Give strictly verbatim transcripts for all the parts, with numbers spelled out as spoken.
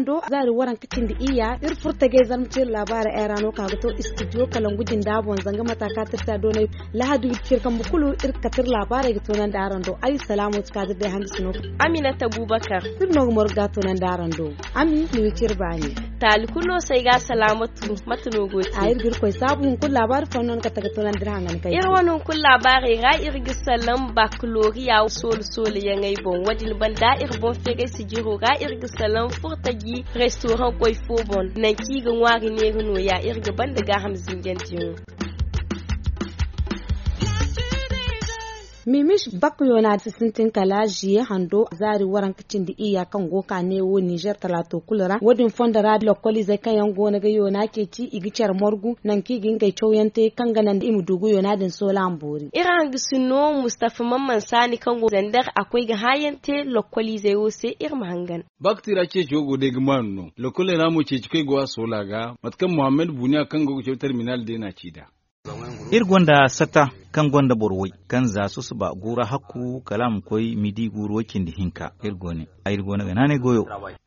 Do zaari waranka cindi iyya iri furo tajey zarma ciri laabaarey ay ra no ka ga to istidiyo kalangu jinda boŋ zanga mata kaŋ tirsa doonay. Lahadi wiciri kambe kulu iri ga kate iri laabaarey ga toonandi araŋ do ay salaamo ti ka ga day hangasi no. Aminata bubakar. Iri no ga moro ga toonandi araŋ do. Ami ni wiciri baani. Taali kulu no se ay ga salaamatu mate no go te. A iri ga iri koy saabu hunkuna laabaari fooyaŋ no ni kate ga toonandi iri haŋ ga ni kay. Iri wane hunkuna laabaarey ra iri ga salaŋ bakaloriya soolu soolu yaŋey boŋ wo- din banda iri boŋ feeray sijiro ra iri ga salaŋ furtaji restoraŋ koy fo boŋ. Nangu kaŋ i ga ŋwaari neera nooya iri ga banda gaaham zinjandiyaŋo. Mimis bakuyona si sintin kala ziye hando zaari waranka cindi iyya kaŋ go ka ne wo nizer talaato kulu ra wo- din fondo ra lokkoliizey kaŋ yaŋ go no ga yoona ceeci i ga care margu nangu kaŋ i ga ngey cawyaŋ te kaŋ ga naŋ i ma du ga yoona din soola ma boori. Iri hangasino mustafa mamman saani kaŋ go zandar a koy ga hããyaŋ te lokkoliizey wo se iri ma hangan. Ba ga ti ra ceeco go day ga maanu no lokkoley ra mo ceeci koy go a soola ga mate kaŋ muhammad buniya kaŋ go ga caw terminal day no a ci nd'a. Iri gonda sata kaŋ gonda boro way kaŋ za susuba guura hakku kala a ma koy midi guuru way cindi hinka iri go ne. Ay iri go no ga naanay goyo.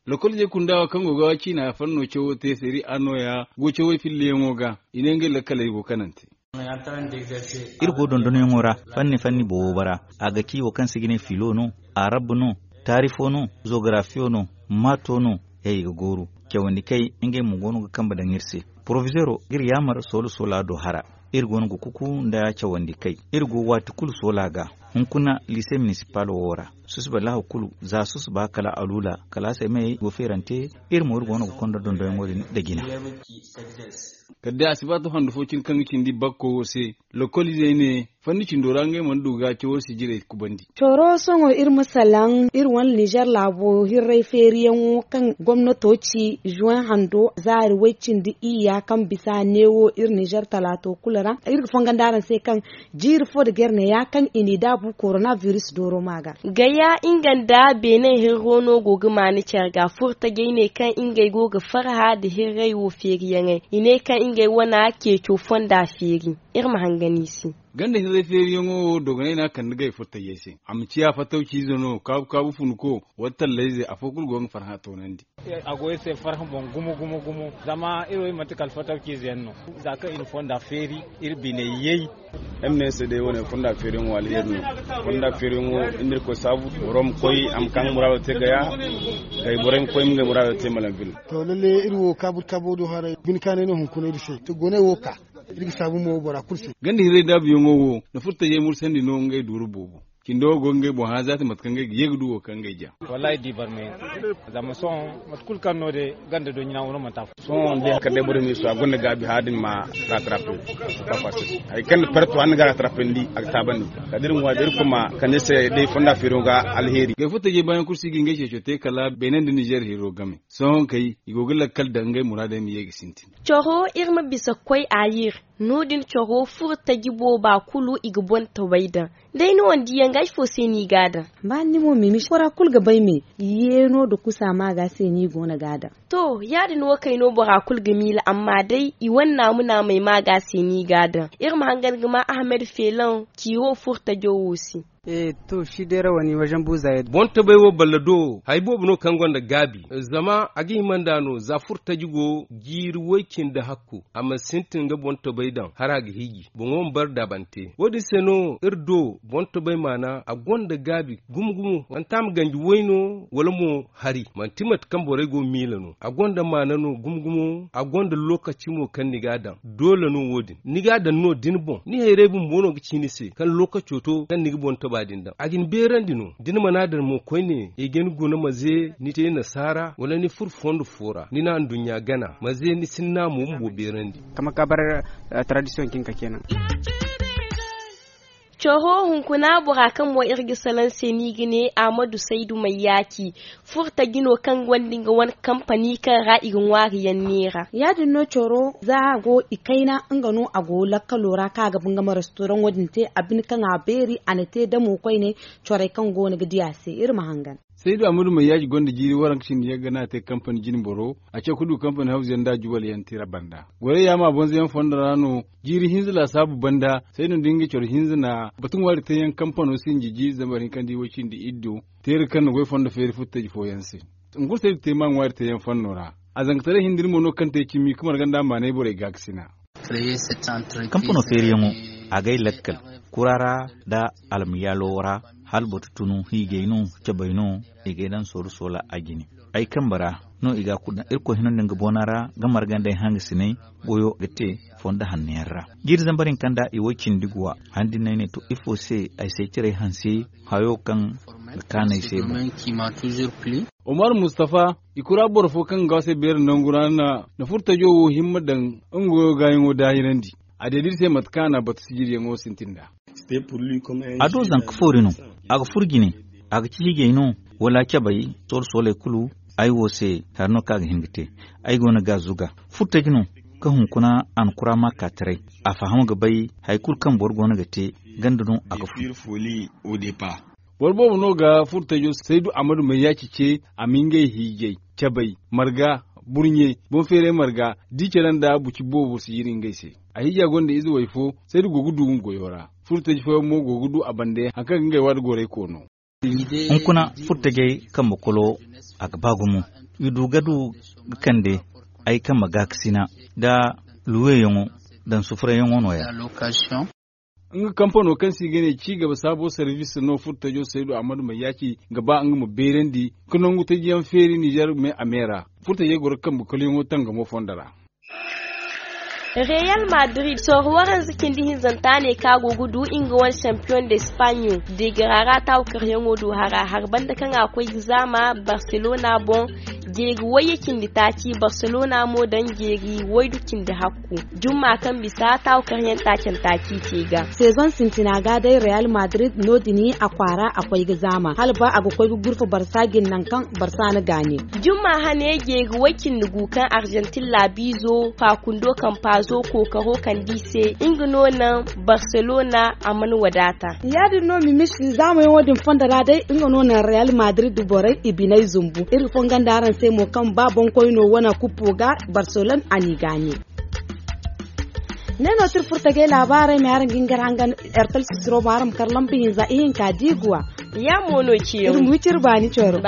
Lokol je kunda wo kaŋ go ga ciina fanno cawo te seri a nooya go cawey filliyaŋo ga i ne ngey lakkaley go kanante. Iri go dondonyaŋo ra fanni fanni boobo ra a ga ci wo kaŋ se ga ne filo no, arab no, taarifo no, zogarafiyo no, maato no. Yaŋ i ga gooru cawandi kay ngey mo go no ga kambe daŋ iri se. Porofizeero ga iri yaamar soola soola do hara. Iri go no ga kuku nda cawandi kay iri go waati kulu soola ga. Hunkuna liise minisipal wo ra susuba laahu kulu za susuba kala aluula kala a se mayey go feerante. Iri mo iri go no ga konda dondoyaŋo din nda jina. Kala day a si ba to handu fo cine kaŋ ga cindi bakko wo se. Lokoliizey ne fanni cindo ra ngey mana du ga cawo sijirey kubandi. Coro sohõ iri ma salaŋ iri wane nizer laabo hirray feeriyaŋo kaŋ gomnato ci zuwen hando zaari way-cindi iyya kaŋ bisa neewo iri nizer talaato kulu ra iri ga fongandi araŋ se kaŋ jiiri fo nda gar neeya kaŋ i n'i daabu korona biris dooro ma ga. Gaya nga nda beene hirro no go ga maani care ga furtajey ne kaŋ ngey go ga farha nda hirray wo feeriyaŋey i ne kaŋ ngey wana ceeco fonda feeri. Iri ma hangan i se. Ganda hirray feeriyaŋo wo dogonay no a kande gay furtajey se a ma ciya fattawciize no kaabu kaabu funko wala tallayze afo kulu go ga farhã toonandi. A go iri se farhã boŋ gumo gumo gumo zama iri wo iri manti kala fattawciize yaŋ no. Za kaŋ iri fonda feeri iri biney yay. M n s day wane fonda feeriyaŋo alheri no. Fonda feeriyaŋo inda iri koy saabu boro ma koy a ma ka nga muraado te gaya. Gay borey ma koy ma ngey muraado te malanvil. To lalle iri wo kaabu kaabu do haray bine kaanay no hunkuna iri se to goney wo ka. Iri ga saabu mo bora kulu se. Ganda hirray daabuyaŋo wo na furtajey mursandi no ngey duuru boobo. Cindo wo go ga ngey boŋ hã zaati mate kaŋ ngey ga ye ga du wo kaŋ ngey ja. Wallaahi di barmay zama sohõ mate kulu kaŋ no day ganda do ɲina wo no manti afo. Sohõ day kala day boro ma i su a gonda gaabi hã din ma ratrape. Hari kaŋ na perto hã ni ga ratrapandi a ga taabandi. Kala da iri ŋwa da iri kuma kande se day fonda feeriyaŋo ga alheri. Gay furtajey baayaŋ kulu si ga ngey ceeco te kala beene nda nizer hiro game. Sohõ kay i go ga lakkal daŋ ngey muraadey ma ye ga sintin. Coro iri ma bisa koy ayir. No- din coro furo taji booba kulu i ga boŋ taway daŋ. Day ni wane diyaŋ ga ifo se no i ga a daŋ? Ba ni mo mimi bora kulu ga bay me. Yeeno nda kusa ma ga se no i go no ga a daŋ. To ya- din wo kay no bora kulu ga miila amma day i wane naamu naamey ma ga se no i ga a daŋ. Iri ma hangan ga ma ahamed feelaŋ ciiro furo tajo wo se. To shi deera wani wajen buuza yadda. Boŋ tabay wo balla do hari boobo no kaŋ gonda gaabi. Zama a ga hima nd'a no za furo taji go jiiri way- cindi hakku a mana sintin nga boŋ tabay daŋ hari a ga hiiji boŋo ma bare daabante wo- din se no iri do boŋ tabay maana a gonda gaabi. Gumo gumo manti a ma ganji way no wala mo hari manti mate kaŋ borey go ga miila no a gonda maana no gumo gumo a gonda lookaci mo kaŋ ni ga a daŋ. Doole no wo- din ni ga a daŋ no da ni boŋ ni hayray bumbo no ga ci ni se kaŋ lookaco to kaŋ ni ga boŋ taba din daŋ a ga ni beerandi no da ni mana a daŋ mo koyne i ga ni guna ma ze ni te nasaara wala ni furo fondo fo ra ni na anduɲɲa gana ma ze ni sinna mo bumbo beerandi. Kama ka bar taradisiyoŋ kinka kenan. Coro hunkuna bora kaŋ mo iri ga salaŋ se no i ga ne ahmadu saydu mayyaki. Furo taji no kaŋ gonda nga wane kampani kaŋ ra i ga ŋwaari yaŋ neera. Ya- din no coro za a go i kayna nga no a go lakkalo ra kaŋ a ga ba nga ma restoraŋo din te a bine kaŋ a beeri a na te damo koyne. Corey kaŋ go no ga di a se iri ma hangan. Saydu ahmadu mayyaki gonda jiiri waranka cindi yaŋ ga no a te kampani jinboro a caw ga du kampani hawzu yaŋ nda juwal yaŋ tira banda. Gorey yaama bonzo yaŋ fondo ra no. Jiiri hinza laasaabu banda saydu nda nga coro hinza na batu ŋwaari teeyaŋ kampano sinji jiiri zambar hinka nda i way cindi iddo. Teera kaŋ na goy fondo feeri furo taji fooyaŋ se. Hunkuna se iri ga te ma ŋwaari teeyaŋ fanno ra. A zangataray hinda iri mo no kaŋ te cimi ka marga nda a maanay borey gaakasina. Kampano feeriyaŋo, a g'ay lakkal kura ra nda almayaalo ra. Hala batu tunu hiijay no, cabay no, i g'ay daŋ sooru soola a jine. Ay kambe ra no i ga a kulu daŋ. Irkoy hino nda nga boona ra ga marga nda ay hangasiney. Goyo ga te fondo hanno yaŋ ra. Jiiri zambar hinka nda i way cindi guwa. Handi no ay ne to ifo se ay se ciray hanse hayo kaŋ ga kaanu ay se boŋ. Omar mustafa, i kura boro fo kaŋ ga se beera nangu ra na furtajo wo himma daŋ nga goyo gaayaŋo daahirandi. A deeda iri se mate kaŋ a na batu sijiriyaŋo sintin nd'a. A do zanka foori no. A ga furo jine. A ga ci hiijay no, wala cabay. Sooro sooley kulu ay wo se hari no kaŋ a ga hin ga te. Ay go no ga a zuga furtaji no. Kaŋ hunkuna a na kura ma ka taray. A faham ga bay hari kulu kaŋ boro go no ga te. Ganda no a ga furo. Boro boobo no ga furtajo saydu amadu mayyaci ce. A ma ngey hiijay, cabay, marga, burɲe, boŋ feeray marga, da i care nda buci boobo si yiri ngey se. A hiija gonda ize way fo. Saydu go ga du nga goyo ra. Furtaji fooyaŋ mo go ga du a bande hari kaŋ ga ngey waati gorey koono. Hunkuna furtajey kambe kolo a ga ba gumo. I du ga du ga kande ay kambe gaakasina nda luweyaŋo daŋ sufurayyaŋo no- ya. Nga kampano kaŋ se i ga ne ci gaba saabo sarvis no furtajo saydu ahmadu mayyaci ga ba nga ma beerandi ka nangu tajiyaŋ feeri nizer me a me ra. Furtajey goro ga kambe koloyaŋo tangamo fondo ra. Real madrid sohõ waranza cindi hinzanta ne kaŋ a go ga du nga wane champion de spagne. Deegara ra taawu karyaŋo du hara har banda kaŋ a koy ga zaama barcelona boŋ. Jeeri wayye cindi taaci barcelona mo daŋ jeeri waydu cindi hakku. Jumma kaŋ bisa taawu karyaŋ taacanta ci te ga. Sezoŋ sintina ga day real madrid no- din a kwaara a koy ga zaama hala ba a ga koy ga gurfa barsa jine nangu kaŋ barsa na gaani. Jumma hane jeeri way cindi gu kaŋ arjantin laabiizo faakundo kaŋ paazo kookaro kand'i se nga no naŋ barselona a mana wadaata. Ya- din no mimisi zaamayaŋo din fondo ra day nga no naŋ real madrid borey i biney zumbu iri ga fongo nda araŋ se mo kaŋ ba boŋkoyno wane kuppo ga barselona a n'i gaani. Ne no tira furtagey laabaarey ma araŋ ga hin ga iri hangan. Ertel sisiro ma araŋ ma kar lamba hinza ihinka diiguwa. Ya mo no ciyaŋ iri ma wiciri baani coro.